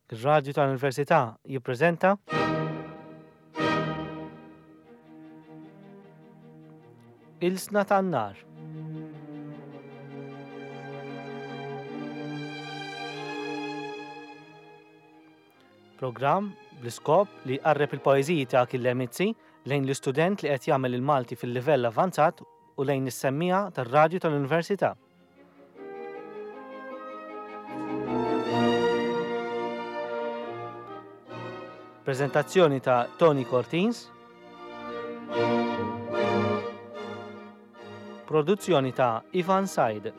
Ir-Radju tal-Università jippreżenta Ilsna tan-Nar. Programm bl-iskop li jqarreb il-poeżiji ta' Achille Mizzi lejn l-istudent li qed jagħmel il-Malti fil-livell avvanzat u lejn is-semmiegħa tar-Radju tal-Università. Prezentazzjoni ta' Tony Cortins. Produzzjoni ta' Ivan Said.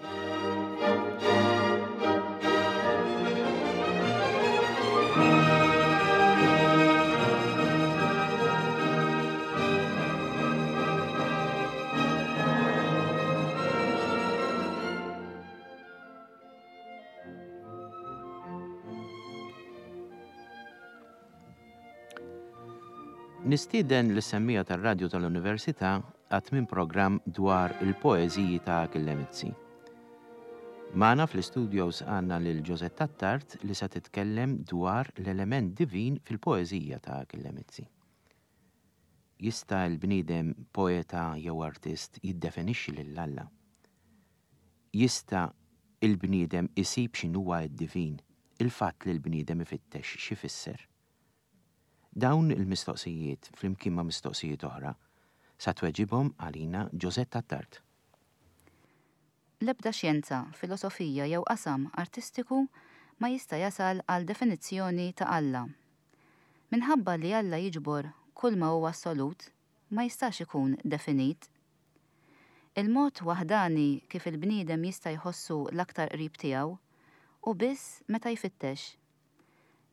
Nistieden lis-semmiegħa tar-Radju tal-Università għat-tmien programm dwar il-poeżiji ta' Achille Mizzi. Magħna fl-istudios għandna lil Josette Attard li se titkellem dwar l-element divin fil-poeżija ta' Achille Mizzi. Jista' l-bniedem poeta jew artist jiddefenixxi lil Alla? Jista' l-bniedem isib x'inhuwa d-divin, il-fatt li l-bniedem ifittex x'ifisser? Dawn il-mistoqsijiet, flimkien ma' mistoqsijiet oħra, sa tweġibhom għalina Josette Attard. L-ebda xjenza, filosofija jew qasam artistiku ma jista' jasal għal definizzjoni ta' Alla. Minħabba li Alla jiġbor kull ma hu assolut, ma jistax ikun definit. Il-mod waħdani kif il-bniedem jista' jħossu l-aktar qrib tiegħu hu biss meta jfittex.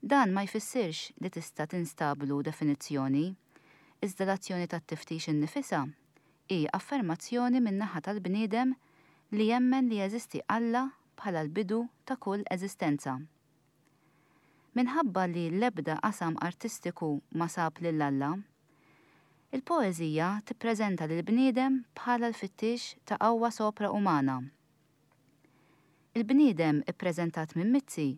Dan ma jfissirx li tista' tinstablu definizzjoni, iżda l-azzjoni tat-tiftix innifisha hi affermazzjoni min-naħa tal-bniedem li jemmen li jeżisti Alla bħala l-bidu ta' kull eżistenza. Minħabba li l-ebda qasam artistiku ma sab lil Alla, il-poeżija tippreżenta lill-bniedem bħala l-fittix ta' qawwa sopra-umana. Il-bniedem ippreżentat minn Mizzi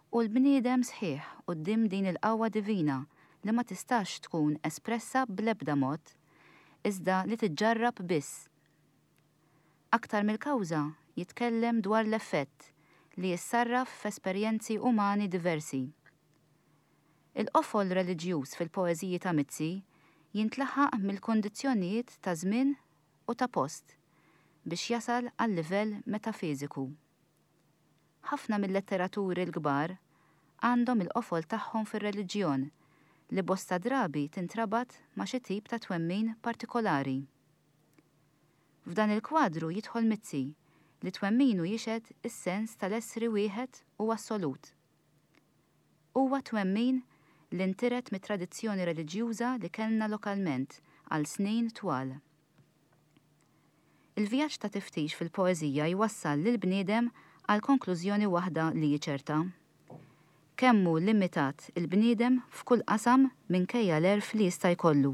hu l-bniedem sħiħ quddiem din il-qawwa divina li ma tistax tkun espressa bl-ebda mod, iżda li tiġġarrab biss. Aktar mill-kawża, jitkellem dwar l-effett li jissarraf f'esperjenzi umani diversi. Il-qofol reliġjuż fil-poeżiji ta' Mizzi jintlaħaq mill-kundizzjonijiet ta' żmien u ta' post biex jasal għal-livell metafiżiku. Ħafna mil-letteraturi l-kbar għandhom il-qofol tagħhom fir-reliġjon li bosta drabi tintrabat ma' xi tip ta' twemmin partikolari. F'dan il-kwadru jidħol Mizzi, li twemminu jixhed is-sens tal-essri wieħed u assolut. Huwa twemmin li ntiret mit-tradizzjoni reliġjuża li kellna lokalment għal snin twal. Il-vjaġġ ta' tiftix fil-poeżija jwassal lill-bniedem għal konklużjoni waħda li hi ċerta. Kemm hu limitat il-bniedem f'kull qasam minkejja l-għerf li jista' jkollu.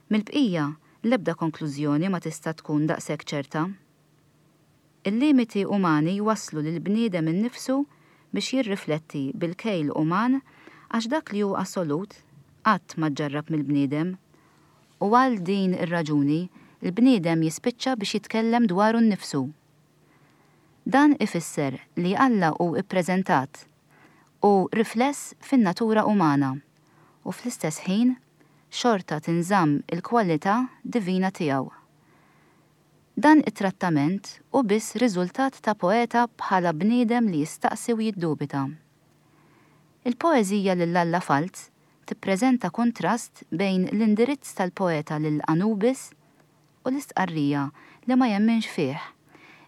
Mill-bqija, l-ebda konklużjoni ma tista' tkun daqshekk ċerta. Il-limiti umani jwasslu lill-bniedem innifsu biex jirrifletti bil-kejl uman għax dak li hu assolut qatt ma ġġarrab mill-bniedem u għal din ir-raġuni l-bniedem jispiċċa biex jitkellem dwaru nnifsu. Dan ifisser li Alla hu ppreżentat u rifless fin-natura umana u fl-istess ħin xorta tinżamm il-kwalità divina tiegħu. Dan it-trattament hu biss riżultat ta' poeta bħala bniedem li jistaqsi u jiddubita. Il-poeżija Lil Alla Falz tippreżenta kuntrast bejn l-indirizz tal-poeta lil Anubis u l-istqarrija li ma jemminx fih,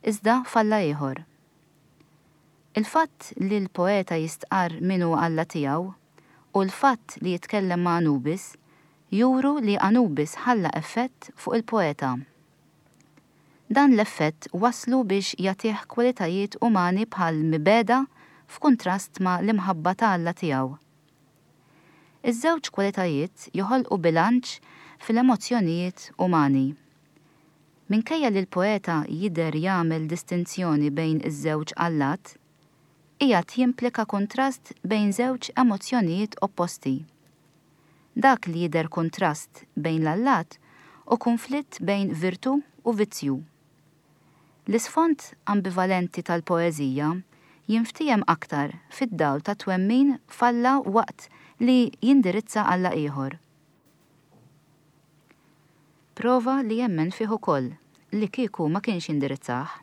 iżda f'Alla ieħor. Il-fatt li l-poeta jistqarr min hu Alla tiegħu u l-fatt li jitkellem ma' Anubis juru li Anubis ħalla effett fuq il-poeta. Dan l-effett wasslu biex jagħtih kwalitajiet umani bħal mibegħda f'kuntrast ma' l-imħabba ta' Alla tiegħu. Iż-żewġ kwalitajiet joħolqu bilanċ fil-emozzjonijiet umani. Minkejja li l-poeta jidher jagħmel distinzjoni bejn iż-żewġ allat, qiegħed jimplika kuntrast bejn żewġ emozzjonijiet opposti. Dak li jidher kuntrast bejn l-allat hu kunflitt bejn virtù u vizzju. L-isfond ambivalenti tal-poeżija jinftiehem aktar fid-dawl tat-twemmin f'Alla waqt li jindirizza Alla ieħor. Prova li jemmen fih ukoll, li kieku ma kienx jindirizzah.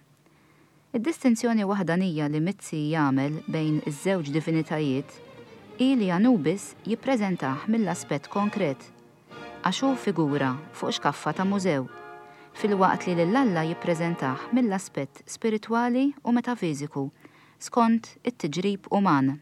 Id-distinzjoni waħdanija li Mizzi jagħmel bejn iż-żewġ divinitajiet hi li Anubis jippreżentah mill-aspett konkret, għax hu figura fuq xkaffa ta' mużew, filwaqt li lil Alla jippreżentah mill-aspett spiritwali u metafiżiku skont it-tiġrib uman.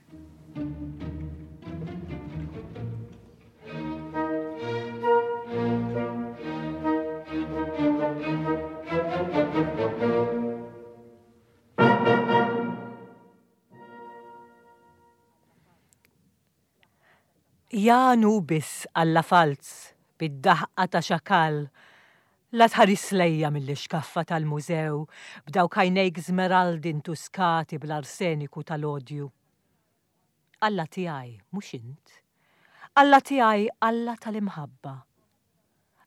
Ja Anubis, alla falz, bid-daħqa ta' xakall, la tħaris lejja mill-ixkaffa tal-mużew b'dawk għajnejk żmeraldi ntuskati bl-arseniku tal-odju. Alla tiegħi mhux int. Alla tiegħi Alla tal-imħabba.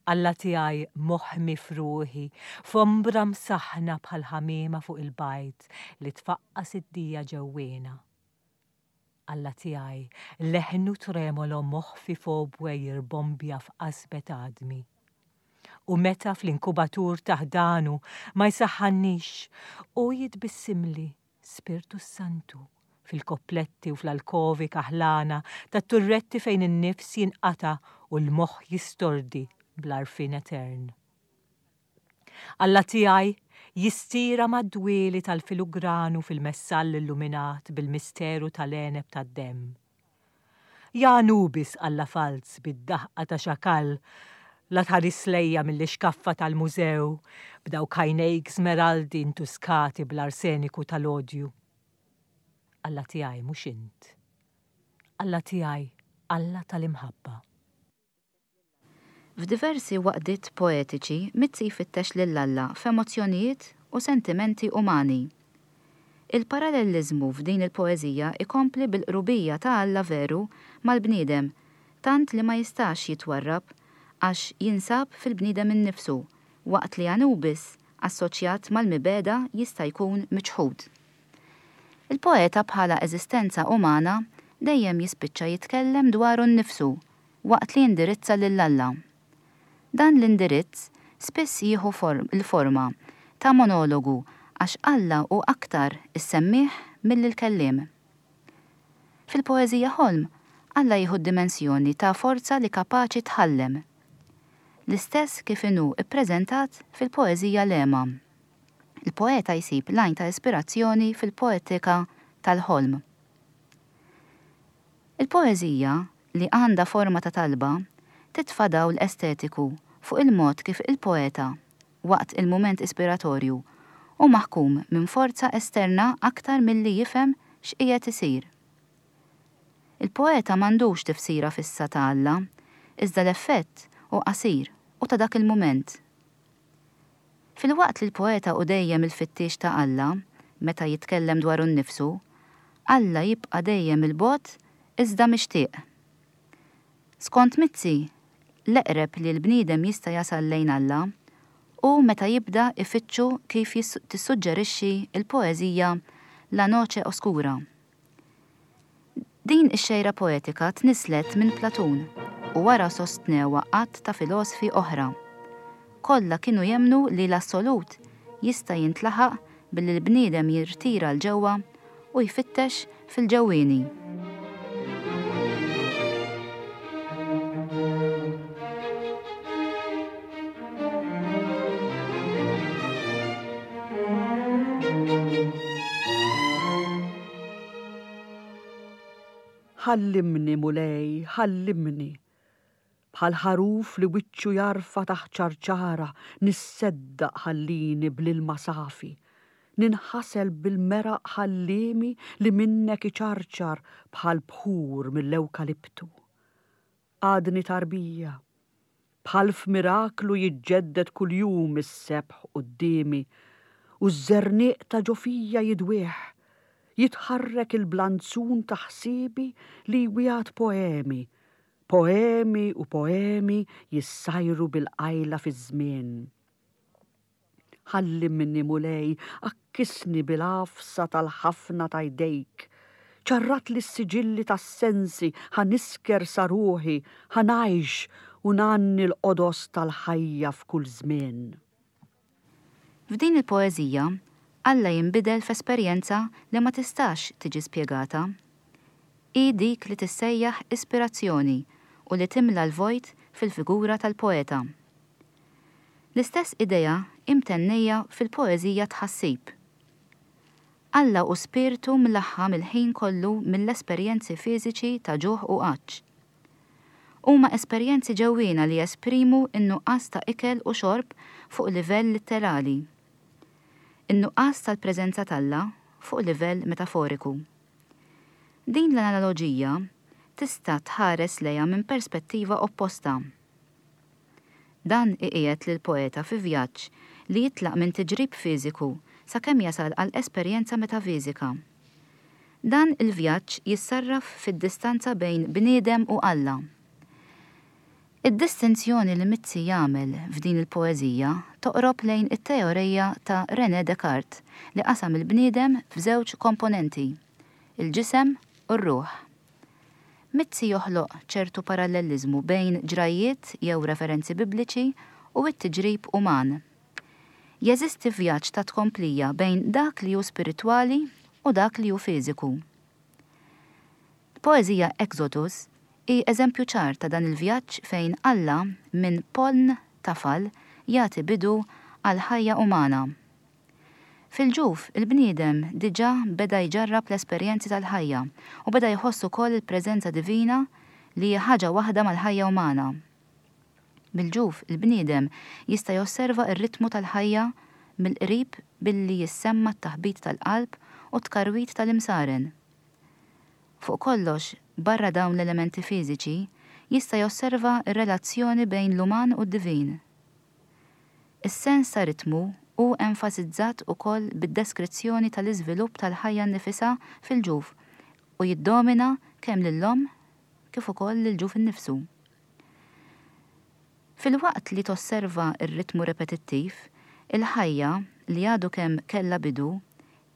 Alla tiegħi moħmi f'ruħi, f'ombra msaħħna bħal ħamiema fuq il-bajd li tfaqqas id-dija ġewwiena. Alla tiegħi leħnu tremolo moħfi f'obwe jirbombja f'qasbet għadmi. U meta fl-inkubatur ta' ħdanu ma jsaħħannix, hu jitbissimli Spirtu s-Santu, fil-koppletti u fl-alkovi kaħlana tat-turretti fejn in-nifs jinqata' u l-moħħ jistordi bl-għarfien etern. Alla tiegħi jistira mad-dwieli tal-filugranu fil-messall illuminat bil-misteru tal-għeneb tad-demm. Ja Anubis alla falz bid-daħqa ta' xakall la tħaris lejja mill-ixkaffa tal-mużew b'dawk għajnejk żmeraldi ntuskati bl-arseniku tal-odju. Alla tiegħi mhux int. Alla tiegħi Alla tal-imħabba. F'diversi waqdiet poetiċi Mizzi jfittex lil Alla f'emozzjonijiet u sentimenti umani. Il-paralelliżmu f'din il-poeżija jkompli bil-qrubija ta' Alla veru mal-bniedem tant li ma jistax jitwarrab għax jinsab fil-bniedem innifsu waqt li Anubis assoċjat mal-mibegħda jista' jkun miċħud. Il-poeta bħala eżistenza umana dejjem jispiċċa jitkellem dwaru nnifsu waqt li jindirizza lil Alla. Dan l-indirizz spiss jieħu l-forma ta' monologu għax Alla hu aktar is-semmiegħ milli l-kelliem. Fil-poeżija Ħolm, Alla jieħu d-dimensjoni ta' forza li kapaċi tħallem. L-istess kif inhu ppreżentat fil-poeżija Lema. Il-poeta jsib l-għajn ta' ispirazzjoni fil-poetika tal-ħolm. Il-poeżija, li għandha forma ta' talba, titfa' dawl estetiku fuq il-mod kif il-poeta, waqt il-mument ispiratorju, hu maħkum minn forza esterna aktar milli jifhem x'qiegħed isir. Il-poeta m'għandux tifsira fissa ta' Alla, iżda l-effett hu qasir u ta' dak il-mument. Filwaqt li l-poeta hu dejjem il-fittiex ta' Alla, meta jitkellem dwaru nnifsu, Alla jibqa' dejjem 'il bogħod iżda mixtieq. Skont Mizzi, l-eqreb li l-bniedem jista' jasal lejn Alla hu meta jibda jfittxu kif tissuġġerixxi l-poeżija La noche oscura. Din ix-xejra poetika tnisslet minn Platun u wara sostnewha għadd ta' filosfi oħra. Kollha kienu jemmnu li l-assolut jista' jintlaħaq billi l-bniedem jirtira 'l ġewwa u jfittex fil-ġewwieni. Ħallimni, Mulej, ħallimni. Bħal ħaruf li wiċċu jarfa' taħt ċarċara nisseddaq ħallini bl-ilma safi. Ninħasel bil-meraq ħalliemi li minnek iċarċar bħal bħur mill-ewkaliptu. Għadni tarbija. Bħal f'miraklu jiġġedded kuljum is-sebħ quddiemi u ż-żerniq ta' ġo fija jidwieħ. Jitħarrek il-blanzun ta' ħsiebi li jwiegħed poemi, poemi u poemi jissajru bil-qajla fiż-żmien. Ħallimni, Mulej, għakkisni bil-għafsa tal-ħafna ta' jdejk. Ċarratli s-siġilli tas-sensi ħa nisker sa ruħi, ħa ngħix u ngħanni l-qodos tal-ħajja f'kull żmien. F'din il-poeżija, Alla jinbidel f'esperjenza li ma tistax tiġi spjegata. Hi dik li tissejjaħ ispirazzjoni u li timla l-vojt fil-figura tal-poeta. L-istess idea hi mtennejja fil-poeżija Tħassib. Alla hu spirtu mlaħħam il-ħin kollu mill-esperjenzi fiżiċi ta' ġuħ u għatx. Huma esperjenzi ġewwiena li jesprimu n-nuqqas ta' ikel u xorb fuq livell litterali. In-nuqqas tal-preżenza t'Alla fuq livell metaforiku. Din l-analoġija tista' tħares lejha minn perspettiva opposta. Dan iqiegħed lill-poeta fi vjaġġ li jitlaq minn tiġrib fiżiku sakemm jasal għal esperjenza metafiżika. Dan il-vjaġġ jissarraf fid-distanza bejn bniedem u Alla. Id-distinzjoni li Mizzi jagħmel f'din il-poeżija toqrob lejn it-teoreja ta' René Descartes li qasam il-bniedem f'żewġ komponenti, il-ġisem u r-ruħ. Mizzi joħloq ċertu parallelliżmu bejn ġrajjiet jew referenzi Bibliċi u t-tiġrib uman. Jeżisti vjaġġ ta' tkomplija bejn dak li hu spiritwali u dak li hu fiżiku. L-poeżija Exodus hi eżempju ċar ta' dan il-vjaġġ fejn Alla minn poln tafal jagħti bidu għall-ħajja umana. Fil-ġuf, il-bniedem diġà beda jġarrab l-esperjenzi tal-ħajja u beda jħoss ukoll il-preżenza divina li hi ħaġa waħda mal-ħajja umana. Mill-ġuf, il-bniedem jista' josserva r-ritmu tal-ħajja mill-qrib billi jissemma' t-taħbit tal-qalb u t-tkarwit tal-imsaren. Fuq kollox, barra dawn l-elementi fiżiċi, jista' josserva r-relazzjoni bejn l-uman u d-divin. Is-sens ta' ritmu hu enfasizzat ukoll bid-deskrizzjoni tal-iżvilupp tal-ħajja nnifisha fil-ġuf u jiddomina kemm lill-omm kif ukoll lill-ġuf innifsu. Filwaqt li tosserva r-ritmu repetittiv, il-ħajja, li għadu kemm kellha bidu,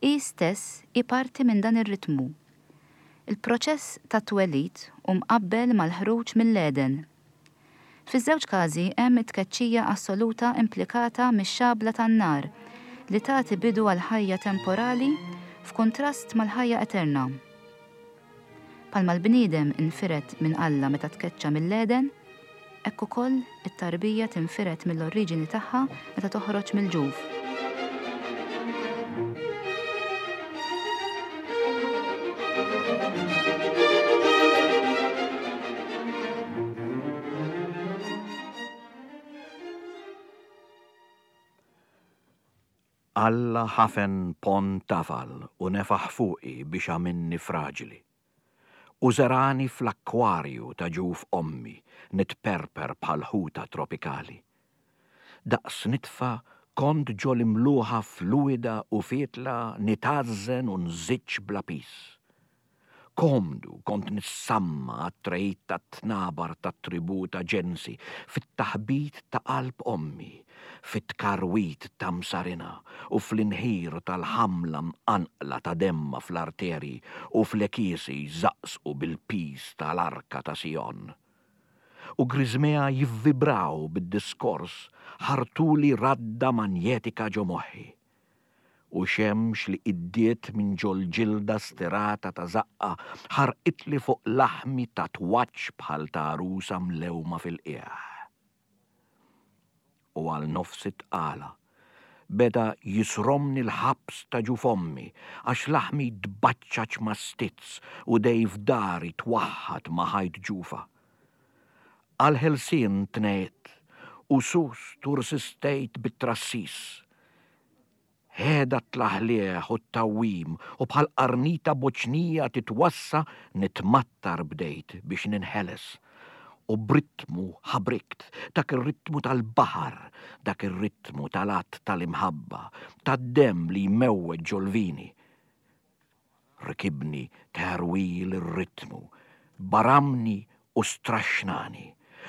hi stess hi parti minn dan ir-ritmu. Il-proċess tat-twelid hu mqabbel mal-ħruġ mill-Għeden. Fiż-żewġ każi hemm it-tkeċċija assoluta implikata mix-xabla tan-nar li tagħti bidu għall-ħajja temporali f'kuntrast mal-ħajja eterna. Bħalma l-bniedem infired minn Alla meta tkeċċa mill-Għeden, hekk ukoll it-tarbija tinfired mill-oriġini tagħha meta toħroġ mill-ġuf. Alla ħafen ponn tafal u nefaħ fuqi biex għamilni fraġli. U żeragħni fl-akkwarju ta' ġuf ommi nitperper bħal ħuta tropikali. Daqs nitfa kont ġo l-imluħa fluwida u fietla nitgħażżen u nżiġġ bla piż. Komdu kont nissamma għat-tregħid tat-tnabar tat-tribù ta' ġensi fit-taħbit ta' qalb ommi, fit-tkarwit ta' msarinha u fl-inħir tal-ħamla mqanqla ta' demmha fl-arterji u fl-għekiesi jżaqżqu bil-piż ta' l-arka ta' Sijon. U griżmejha jivvibraw bid-diskors ħartuli radda manjetika ġo moħħi. U xemx li iddiet minn ġol-ġilda stirata ta' żaqqha ħarqitli fuq laħmi tatwaġġ bħal ta' għarusa mlewma fil-qiegħ. U għal nofs it-tqala beda jisromni l-ħabs ta' ġuf ommi għax laħmi tbaċċaċ ma' stizz u dej f'dari twaħħad ma' ħajt ġufha. Għall-ħelsien tnegħidt u sust u rsistejt bit-trassis. Heda t-tlaħliħ u t-tgħawwim u bħal qarnita boċnija titwassa nitmattar bdejt biex ninħeles. U b'ritmu ħabrikt, dak ir-ritmu tal-baħar, dak ir-ritmu tal-att tal-imħabba, tad-demm li jmewweġ ġol-vini. Rkibni terwil ir-ritmu, baramni u straxxnani,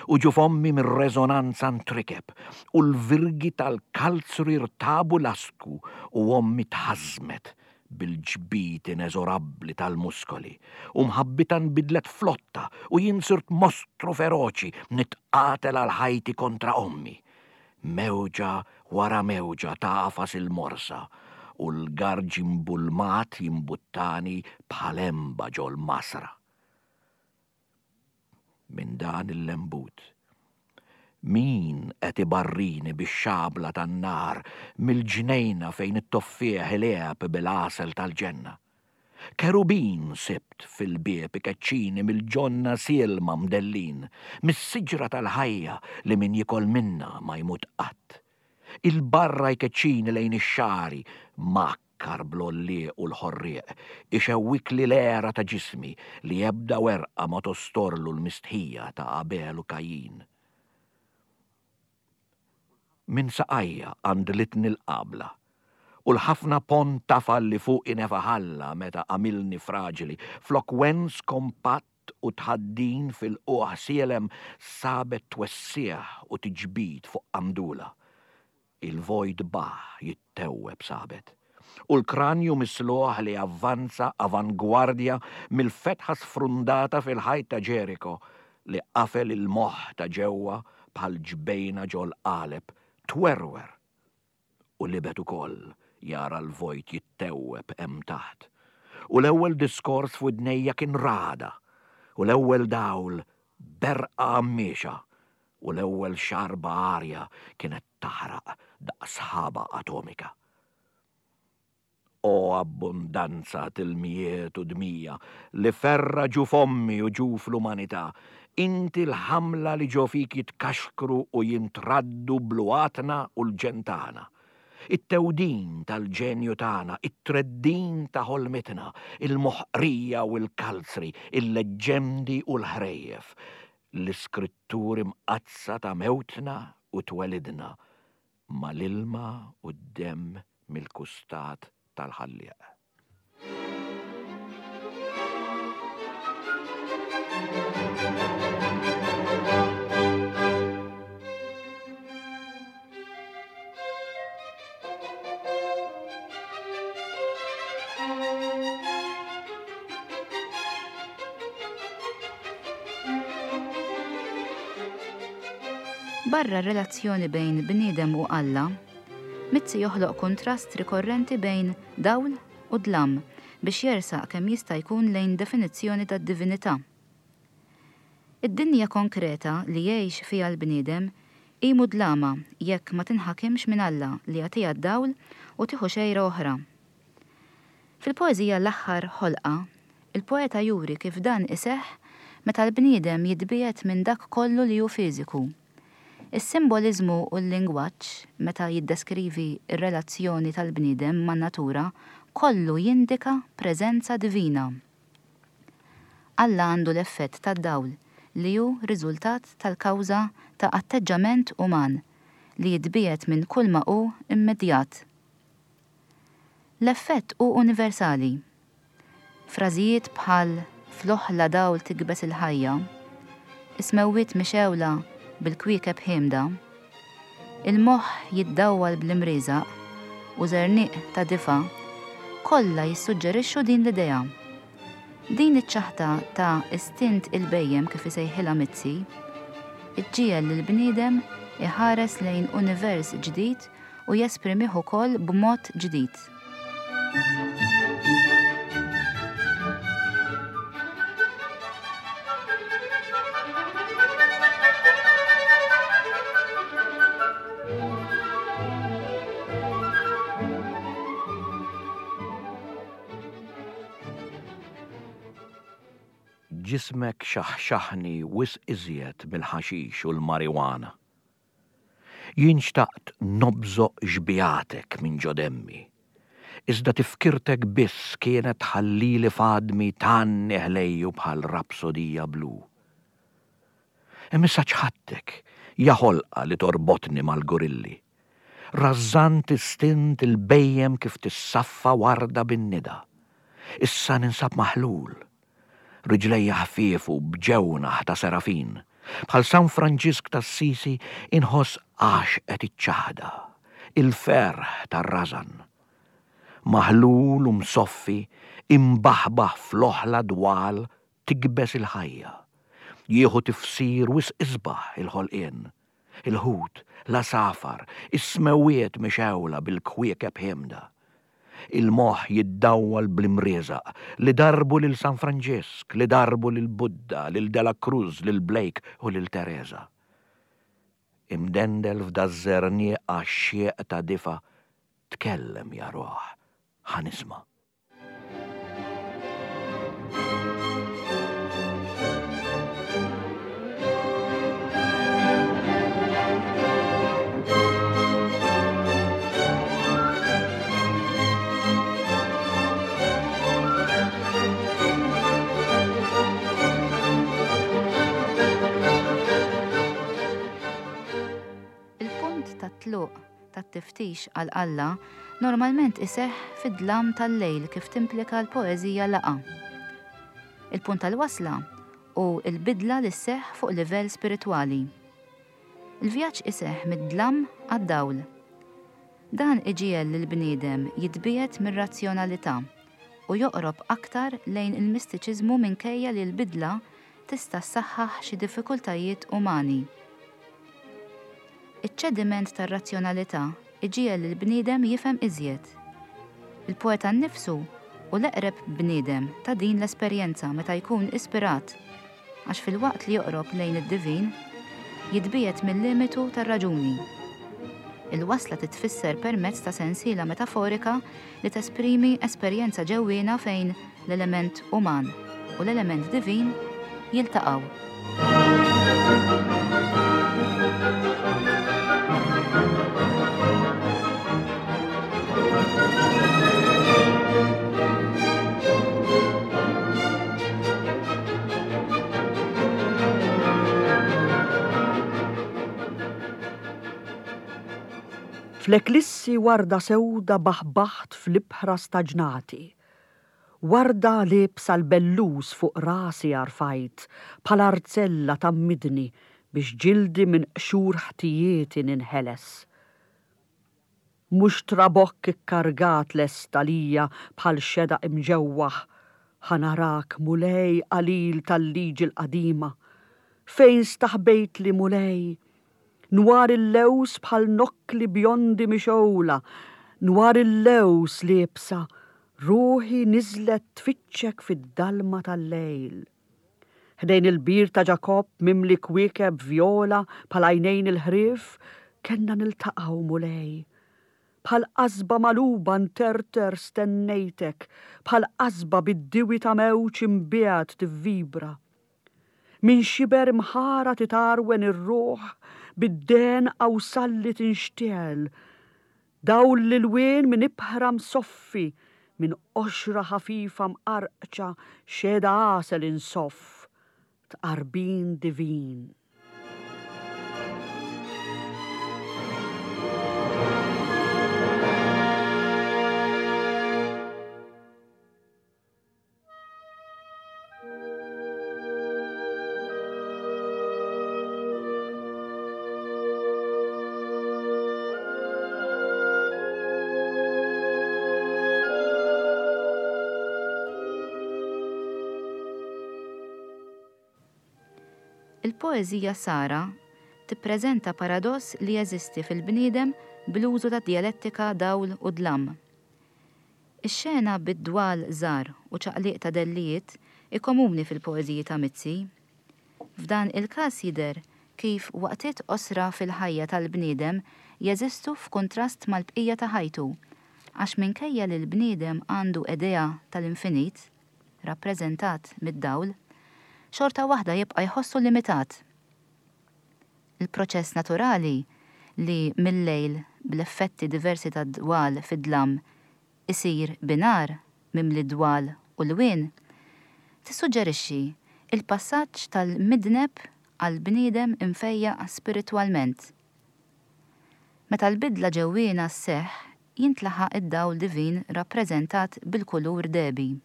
u ġuf ommi mir-reżonanza ntrikeb, u l-virgi tal-kalzri rtabu lastku u ommi tħażżmet bil-ġbid ineżorabbli tal-muskoli, u mħabbitha nbidlet f'lotta u jien sirt mostru feroċi nitqatel għal ħajti kontra ommi. Mewġa wara mewġa tagħfas il-morsa u l-garġ imbulmat jimbuttani bħal għenba ġol-masra. Minn dan il-lembut, min qed ibarrini bix-xabla tan-nar mill-ġnejna fejn it-toffieħ ilegħeb bil-għasel tal-ġenna? Kerubin sibt fil-bieb ikeċċini mill-ġonna sielma mdellin, mis-siġra tal-ħajja li min jiekol minnha ma jmut qatt. Il-barra jkeċċini lejn ix-xagħri mgħakkar bl-għollieq u l-ħorrieq, ixewwikli l-għera ta' ġismi li ebda werqa ma tostorlu l-mistħija ta' Abel u Kajjin. Minn saqajja qandlitni l-qabla, u l-ħafna ponn tafal li fuqi nefaħ Alla meta għamilni fraġili, flok wens kompatt u tħaddin f'ilqugħ sielem sabet twessigħ u tiġbid fuq qandula. Il-vojt baħ jittewweb sabet. U l-kranju misluħ li avvanza avangwardja mill-fetħa sfrundata fil-ħajt ta' Ġeriko li qafel il-moħħ ta' ġewwa bħal ġbejna ġol-qaleb, twerwer u libet ukoll jara l-vojt jittewweb hemm taħt. U l-ewwel diskors f'widnejja kien ragħda, u l-ewwel dawl berqa għammiexa, u l-ewwel xarba arja kienet taħraq daqs sħaba atomika. O abbundanza t'ilmijiet u dmija li ferra ġuf ommi u ġuf l-umanità, inti l-ħamla li ġo fik jitkaxkru u jintraddu bluatna u l-ġenn tagħna. It-tewdin tal-ġenju tagħna, it-treddin ta' ħolmitna, il-moħqrija u l-kalzri, il-leġġendi u l-ħrejjef, l-iskritturi mqaddsa ta' mewtna u twelidna mal-ilma u d-demm mill-kustat tal-Ħallieq. Barra r-relazzjoni bejn bniedem u Alla, Mizzi joħloq kuntrast rikorrenti bejn dawl u dlam biex jersaq kemm jista' jkun lejn definizzjoni tad-divinità. Id-dinja konkreta li jgħix fiha l-bniedem hi mudlama jekk ma tinħakimx minn Alla li jagħtiha d-dawl u tieħu xejra oħra. Fil-poeżija L-Aħħar Ħolqa, il-poeta juri kif dan iseħħ meta l-bniedem jitbiegħed minn dak kollu li hu fiżiku. Is-simboliżmu u l-lingwaġġ meta jiddeskrivi r-relazzjoni tal-bniedem man-natura kollu jindika preżenza divina. Alla għandu l-effett tad-dawl li hu riżultat tal-kawża ta' atteġġament uman li jitbiegħed minn kulma hu immedjat. L-effett hu universali. Frażijiet bħal fl-oħla dawl tikbes il-ħajja, is-smewwiet mixgħula bil-kwiekeb ħiemda, il-moħħ jiddawwal bl-imrieżaq u żerniq ta' difa' kollha jissuġġerixxu din l-idea. Din iċ-ċaħda ta' istint il-bhejjem kif isejħilha Mizzi, iġġiegħel lill-bniedem iħares lejn univers ġdid u jesprimih ukoll b'mod ġdid. Ġismek xaħxaħni wisq iżjed mill-ħaxix u l-marijuana. Jien xtaqt nobżoq xbigħatek minn ġo demmi, iżda tifkirtek biss kienet tħallili f'għadmi tgħanni ħlejju bħal rapsodija blu. Hemm issa ċħadtek, ja ħolqa li torbotni mal-gorilli. Rażżant istint il-bhejjem kif tissaffa warda bin-nida. Issa ninsab maħlul. Riġlejja ħfiefu b'ġewnaħ ta' serafin. Bħal San Franġisk t'Assisi inħoss għaxqet iċ-ċaħda, il-ferħ tar-rażan. Maħlul u msoffi, imbaħbaħ fl-oħla dwal tikbes il-ħajja. Jieħu tifsir wisq isbaħ il-ħolqien. Il-ħut, l-għasafar, is-smewwiet mixgħula bil-kwiekeb ħiemda. Il-moħħ jiddawwal bl-imrieżaq li darbu lil San Franġisk, li darbu lil Buddha, lil De La Cruz, lil Blake u lil Teresa. Imdendel f'daż-żerniq għaxxieq ta' difa, tkellem ja ruħ, ħa nisma'. Il-punt tat-tluq tat-tiftix għal Alla normalment iseħħ fid-dlam tal-lejl kif timplika l-poeżija Laqgħa. Il-punt tal-wasla hu l-bidla li sseħħ fuq livell spiritwali. Il-vjaġġ iseħħ mid-dlam għad-dawl. Dan iġiegħel lill-bniedem jitbiegħed mir-razzjonalità u joqrob aktar lejn il-mistiċiżmu minkejja li l-bidla tista' ssaħħaħ xi diffikultajiet umani. Iċ-ċediment tar-razzjonalità iġiegħel lill-bniedem jifhem iżjed. Il-poeta nnifsu hu l-eqreb bniedem ta' din l-esperjenza meta jkun ispirat, għax filwaqt li joqrob lejn id-divin, jitbiegħed mil-limitu tar-raġuni. Il-wasla titfisser permezz ta' sensiela metaforika li tesprimi esperjenza ġewwiena fejn l-element uman u l-element divin jiltaqgħu. Fl-eklissi warda sewda baħbaħt fl-ibħra staġnati. Warda liebsa l-bellus fuq rasi għarfajt bħal arzella tgħammidni biex ġildi minn qxur ħtijieti ninħeles. Mhux trabokk ikkargat lest għalija bħal xedaq imġewwaħ, ħa narak Mulej qalil tal-liġi l-qadima. Fejn staħbejtli Mulej? Nwar il-lewż bħal nokkli bjondi mixgħula, nwar il-lewż liebsa, ruħi niżlet tfittxek fid-dalma tal-lejl. Ħdejn il-bir ta' Ġakobb mimli kwiekeb vjola bħal għajnejn il-ħrief, kellna niltaqgħu, Mulej. Bħal qasba magħluba nterter stennejtek, bħal qasba bid-diwi ta' mewġ imbiegħed tivvibra. Minn xiber imħara titgħarwen ir-ruħ bid-dehen qawsalli tinxtegħel. Dawl l-ilwien minn ibħra msoffi, minn qoxra ħafifa mqarqċa xehda għasel insoff, tqarbin divin. Il-poeżija Sara tippreżenta paradoss li jeżisti fil-bniedem bl-użu tad-djalettika dawl u dlam. Ix-xena bid-dwal żgħar u ċaqliq ta' dellijiet hi komuni fil-poeżiji ta' Mizzi. F'dan il-każ jidher kif waqtiet qosra fil-ħajja tal-bniedem jeżistu f'kuntrast mal-bqija ta' ħajtu għax minkejja li l-bniedem għandu idea tal-infinit, rappreżentat mid-dawl, xorta waħda jibqa' jħossu limitat. Il-proċess naturali li mil-lejl bl-effetti diversi tad-dwal fid-dlam isir bi nhar mimli dwal u lwien, tissuġġerixxi l-passaġġ tal-midneb għal bniedem imfejjaq spiritwalment. Meta l-bidla ġewwiena sseħħ jintlaħaq id-dawl divin rappreżentat bil-kulur dehbi.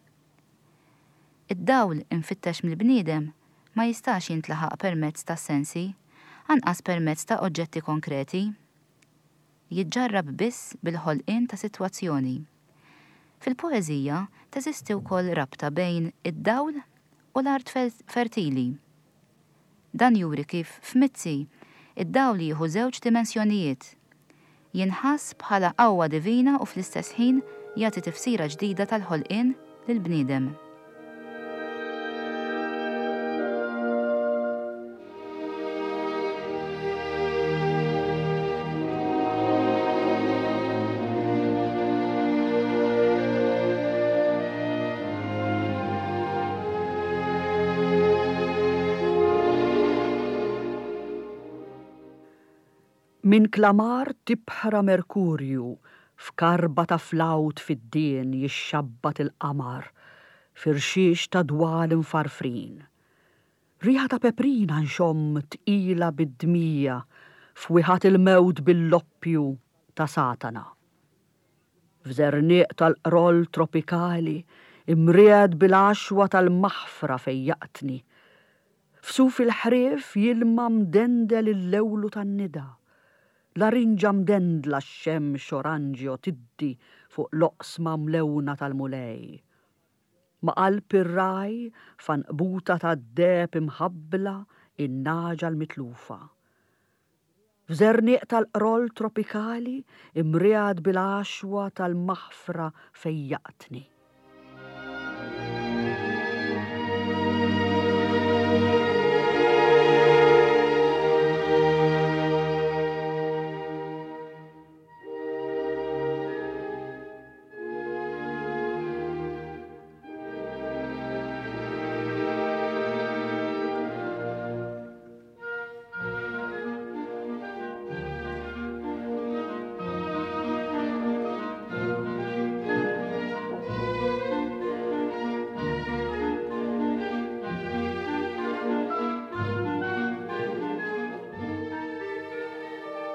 Id-dawl imfittex mill-bniedem ma jistax jintlaħaq permezz tas-sensi, anqas permezz ta' oġġetti konkreti. Jiġġarrab biss bil-ħolqien ta' sitwazzjoni. Fil-poeżija teżisti wkoll rabta bejn id-dawl u l-art fertili. Dan juri kif f'Mizzi id-dawl jieħu żewġ dimensjonijiet. Jinħass bħala qawwa divina u fl-istess ħin jagħti tifsira ġdida tal-ħolqien lill-bniedem. Minn klamar t'ibħra Merkurju f'karba ta' flawt fid-dien jixxabbat il-qamar f'irxiex ta' dwal imfarfrin. Riħa ta' peprina nxomm tqila bid-dmija f'wiħat il-mewt bil-loppju ta' Satana. F'żerniq tal-qroll tropikali imriegħed bil-għaxwa tal-maħfra fejjaqtni. F'suf il-ħrief jilma mdendel il-lewlu tan-nida. Larinġa mdendla x-xemx oranġjo tiddi fuq l-oqsma mlewna tal-Mulej. Ma' qalb ir-ragħaj f'għanqbuta tad-deheb imħabbla in-nagħġa l-mitlufa. F'żerniq tal-qroll tropikali imriegħed bil-għaxwa tal-maħfra fejjaqtni.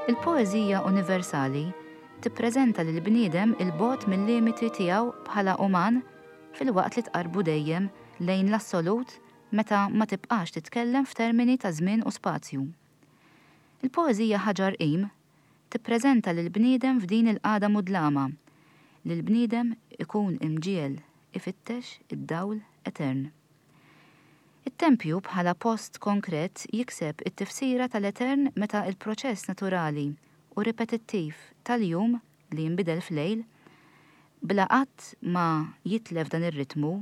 Il-poeżija universali tippreżenta lill-bniedem 'il bogħod mil-limiti tiegħu bħala uman filwaqt li tqarrbu dejjem lejn l-assolut meta ma tibqax titkellem f'termini ta' żmien u spazju. Il-poeżija Ħaġar Qim tippreżenta lill-bniedem f'din il-qagħda mudlama li l-bniedem ikun imġiegħel ifittex id-dawl etern. It-tempju bħala post konkret jikseb it-tifsira tal-etern meta l-proċess naturali u ripetittiv tal-jum li jinbidel f'lejl, bla qatt ma jitlef dan ir-ritmu,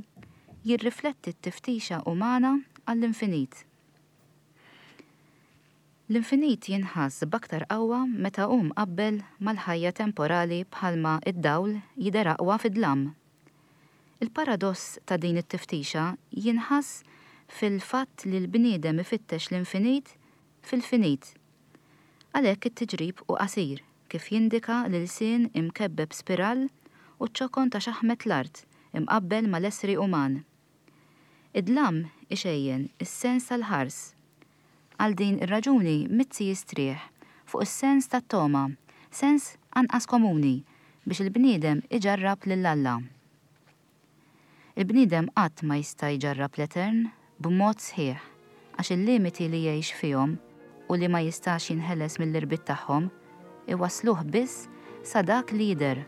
jirrifletti t-tiftixa umana għall-infinit. L-infinit jinħass b'aktar qawwa meta hu mqabbel mal-ħajja temporali bħalma d-dawl jidher aqwa fid-dlam. Il-paradoss ta' din it-tiftixa jinħass fil-fatt li l-bniedem ifittex l-infinit fil-finit. Għalhekk it-tiġrib hu qasir, kif jindika l-ilsien imkebbeb spirall u ċ-ċokon ta' xaħmet l-art imqabbel mal-essri uman. Id-dlam ixejjen is-sens tal-ħars. Għal din ir-raġuni Mizzi jistrieħ fuq is-sens tat-togħma, sens anqas komuni, biex il-bniedem iġarrab lil Alla. Il-bniedem qatt ma jista' jġarrab l-etern b'mod sħiħ għax il-limiti li jgħix fihom u li ma jistax jinħeles mill-irbit tagħhom iwassluh biss sa dak li jidher.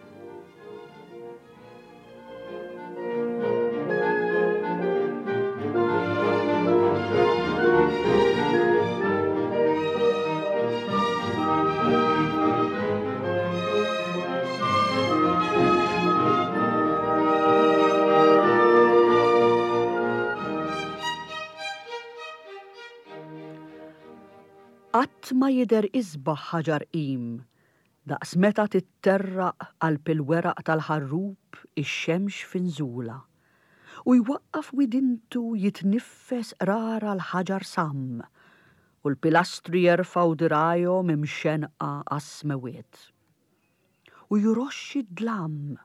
Qatt ma jidher isbaħ ħaġar qim daqs meta titterraq qalb il-weraq tal-ħarrub ix-xemx fi nżulha, u jwaqqaf widintu jitniffes qrara l-ħaġar samm, u l-pilastri jerfgħu dirgħajhom imxennqa għas-smewwiet. U jroxx id-dlam,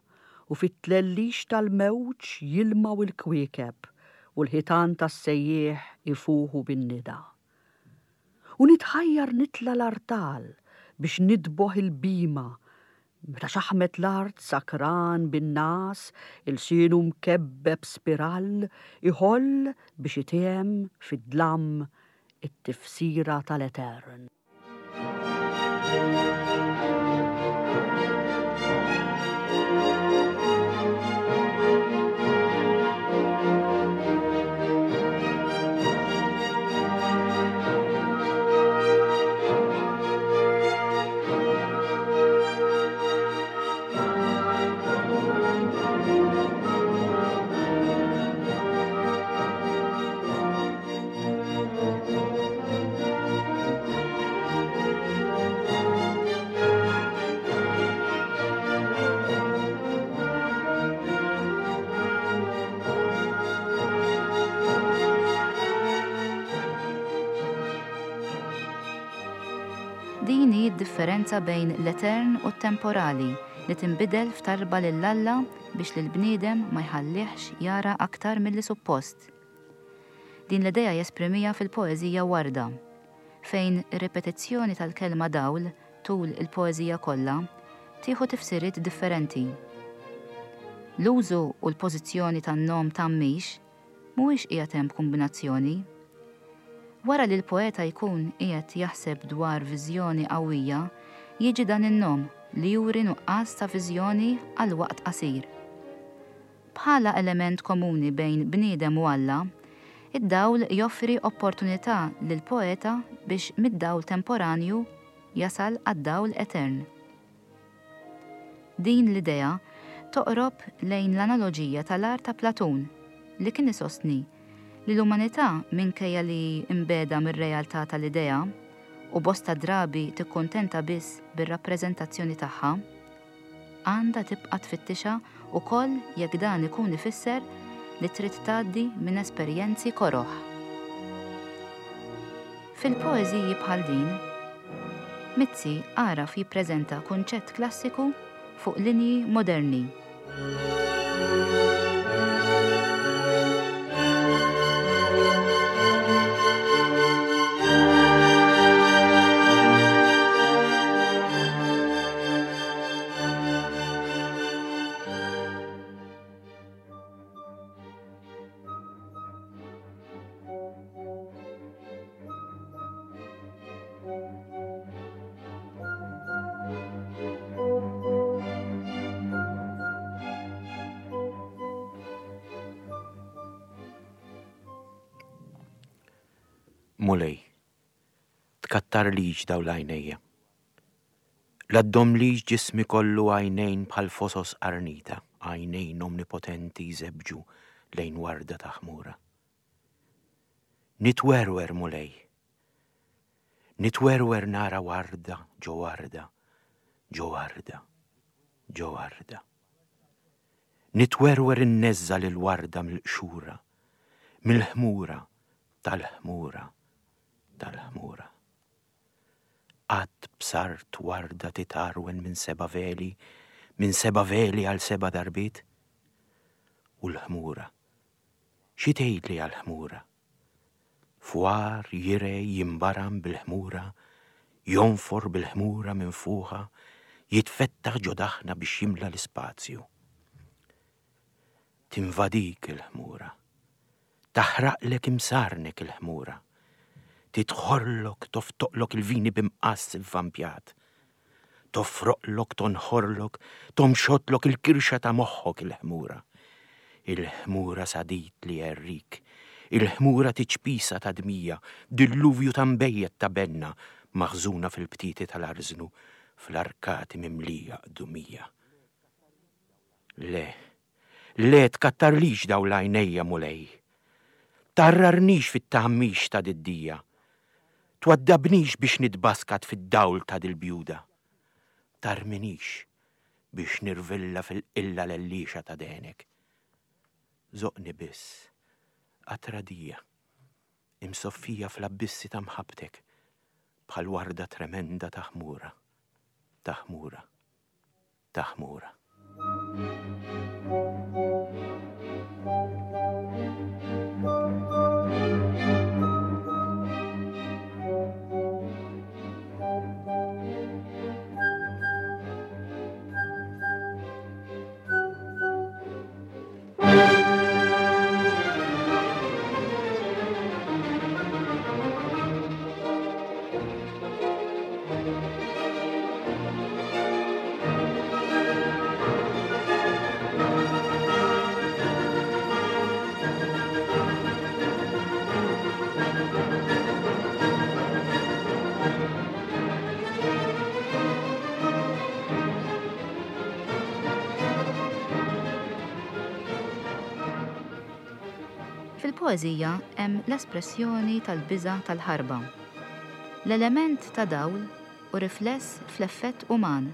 u fit-tlellix tal-mewġ jilmgħu l-kwiekeb, u l-ħitan tas-sejjieħ ifuħu bin-nida. U nitħajjar nitla' l-artal biex nidboħ il-bhima. Meta xaħmet l-art sakran bin-nagħas, ilsienu mkebbeb spirall, iħoll biex itiegħem fid-dlam it-tifsira tal-etern. Din hi d-differenza bejn l-etern u t-temporali li tinbidel f'talba lil Alla biex lill-bniedem ma jħallihx jara aktar milli suppost. Din l-idea jesprimiha fil-poeżija Warda, fejn ir-ripetizzjoni tal-kelma dawl tul il-poeżija kollha tieħu tifsiriet differenti. L-użu u l-pożizzjoni tan-nom tgħammix mhuwiex qiegħed hemm b'kumbinazzjoni. Wara li l-poeta jkun qiegħed jaħseb dwar viżjoni qawwija, jiġi dan in-nom li juri nuqqas ta' viżjoni għal waqt qasir. Bħala element komuni bejn bniedem u Alla, id-dawl joffri opportunità lill-poeta biex mid-dawl temporanju jasal għad-dawl etern. Din l-idea toqrob lejn l-analoġija tal-għar ta' Platun li kien isostni li l-umanità minkejja li hi mbiegħda mir-realtà tal-idea u bosta drabi tikkuntenta biss bir-rappreżentazzjoni tagħha, Għandha tibqa' tfittixha wkoll jekk dan ikun ifisser li trid tgħaddi minn esperjenzi koroh. Fil-poeżiji bħal din, Mizzi għaraf jippreżenta kunċett klassiku fuq linji moderni. Mulej, tkattarlix dawn l-għajnejja. La ddomlix ġismi kollu għajnejn bħal fosos qarnita, għajnejn omnipotenti jżebbġu lejn warda ta' ħmura. Nitwerwer, Mulej. Nitwerwer nara warda ġo warda, ġo warda, ġo warda. Nitwerwer inneżża' lill-warda mill-qxura, mill-ħmura, tal-ħmura, tal-ħmura. Qatt bsart warda titgħarwen minn seba' veli, minn seba' veli għal seba' darbiet? U l-ħmura? Xi tgħidli għall-ħmura? Fwar jirej jimbaram bil-ħmura, jonfor bil-ħmura minfuħa, jitfettaħ ġo daħna biex jimla l-ispazju. Tinvadik il-ħmura. Taħraqlek imsarnek il-ħmura. Tidħorlok toftoqlok il-vini b'imqass ivvampjat. Tofroqlok tonħorlok tomxotlok il-kirxa ta' moħħok il-ħmura. Il-ħmura sadid li jgħerrik. Il-ħmura tiċpisa ta' dmija, dilluvju ta' nbejjed ta' benna maħżuna fil-btieti tal-arżnu fl-arkati mimlija qdumija. Le, Le tkattarlix dawl għajnejja, Mulej. Tgħarrarnix fit-tgħammix ta' did-dija. Twaddabnix biex nitbaskat fid-dawl ta' dil-bjuda. Tarminix biex nirvilla fil-qilla lelliexa ta' dehnek. Żoqqni biss, qatra dija, imsoffija fl-abbissi ta' mħabbtek, bħal warda tremenda ta' ħmura, ta' ħmura. ta' ħmura. Fil-poeżija hemm l-espressjoni tal-biża' tal-ħarba. L-element ta' dawl hu rifless fl-effett uman.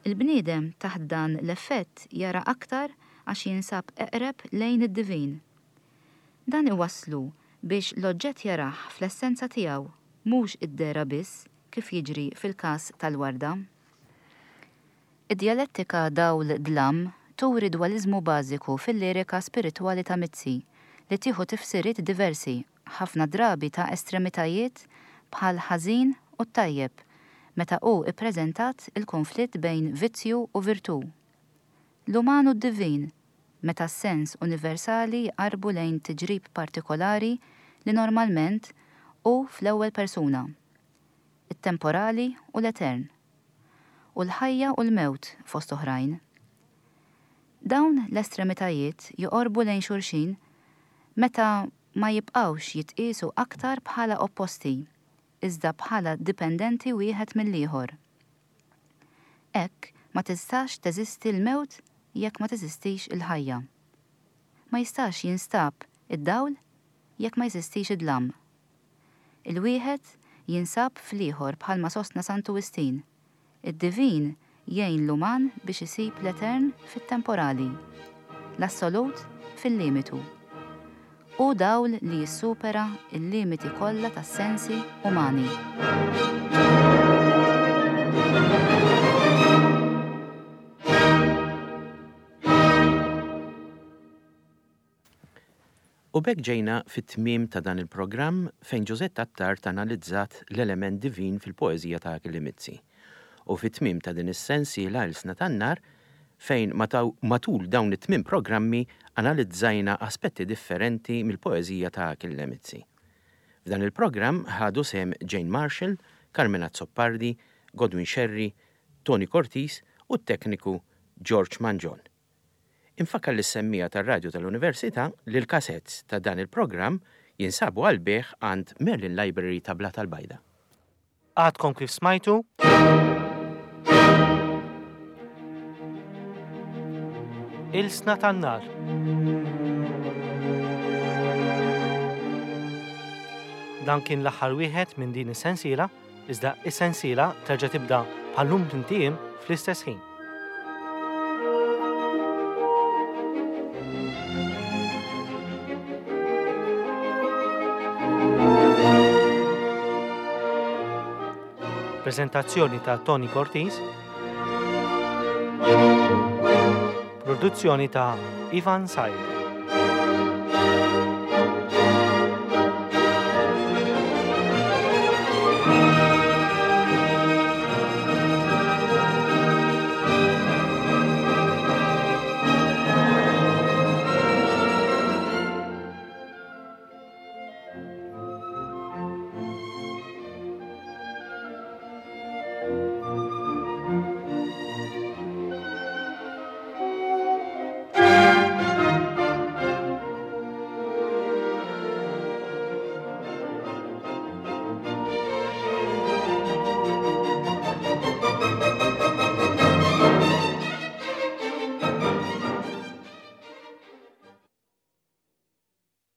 Il-bniedem taħt dan l-effett jara aktar għax jinsab eqreb lejn id-divin. Dan iwasslu biex l-oġġett jarah fl-essenza tiegħu mhux id-dehra biss kif jiġri fil-każ tal-warda. Id-djalettika dawl-dlam turi dwaliżmu bażiku fil-lirika spiritwali ta' Mizzi li tieħu tifsiriet diversi, ħafna drabi ta' estremitajiet bħall-ħażin u t-tajjeb, meta hu ppreżentat il-kunflitt bejn vizzju u virtù. L-uman u d-divin, meta s-sens universali jqarrbu lejn tiġrib partikolari li normalment hu fl-ewwel persuna. It-temporali u l-etern. U l-ħajja u l-mewt fost oħrajn. Dawn l-estremitajiet joqorbu lejn xulxin meta ma jibqgħux jitqiesu aktar bħala opposti, iżda bħala dipendenti wieħed mill-ieħor. Hekk ma tistax teżisti l-mewt jekk ma teżistix il-ħajja. Ma jistax jinstab id-dawl jekk ma jeżistix id-dlam. Il-wieħed jinsab fl-ieħor bħalma sostna Santu Wistin, Id-divin jgħin l-uman biex isib l-etern fit-temporali, l-assolut fil-limitu. Hu dawl li jissupera l-limiti kollha tas-sensi umani. U b'hekk ġejna fit-tmiem ta' dan il-programm fejn Josette Attard analizzat l-element divin fil-poeżija ta' Achille Mizzi. U fit-tmiem ta' din is-sensiela Ilsna tan-Nar fejn matul dawn it-tmien programmi analizzajna aspetti differenti mill-poeżija ta' Achille Mizzi. F'dan il-programm ħadu sehem Jane Marshall, Carmen Azzopardi, Godwin Scerri, Toni Cortis u t-tekniku George Mangion. Infakkar lis-semmiegħa tar-Radju tal-Università li l-cassettes ta' dan il-programm jinsabu għall-bejgħ għand Merlin Library ta' Blata l-Bajda. Għadkom kif smajtu Ilsna tan-Nar. Dan kien l-aħħar wieħed minn din is-sensiela Iżda is-sensiela terġa' tibda bħal-lum tmint ijiem fl-istess ħin. Prezentazzjoni ta' Tony Cortis. Produzzjoni ta' Ivan Said.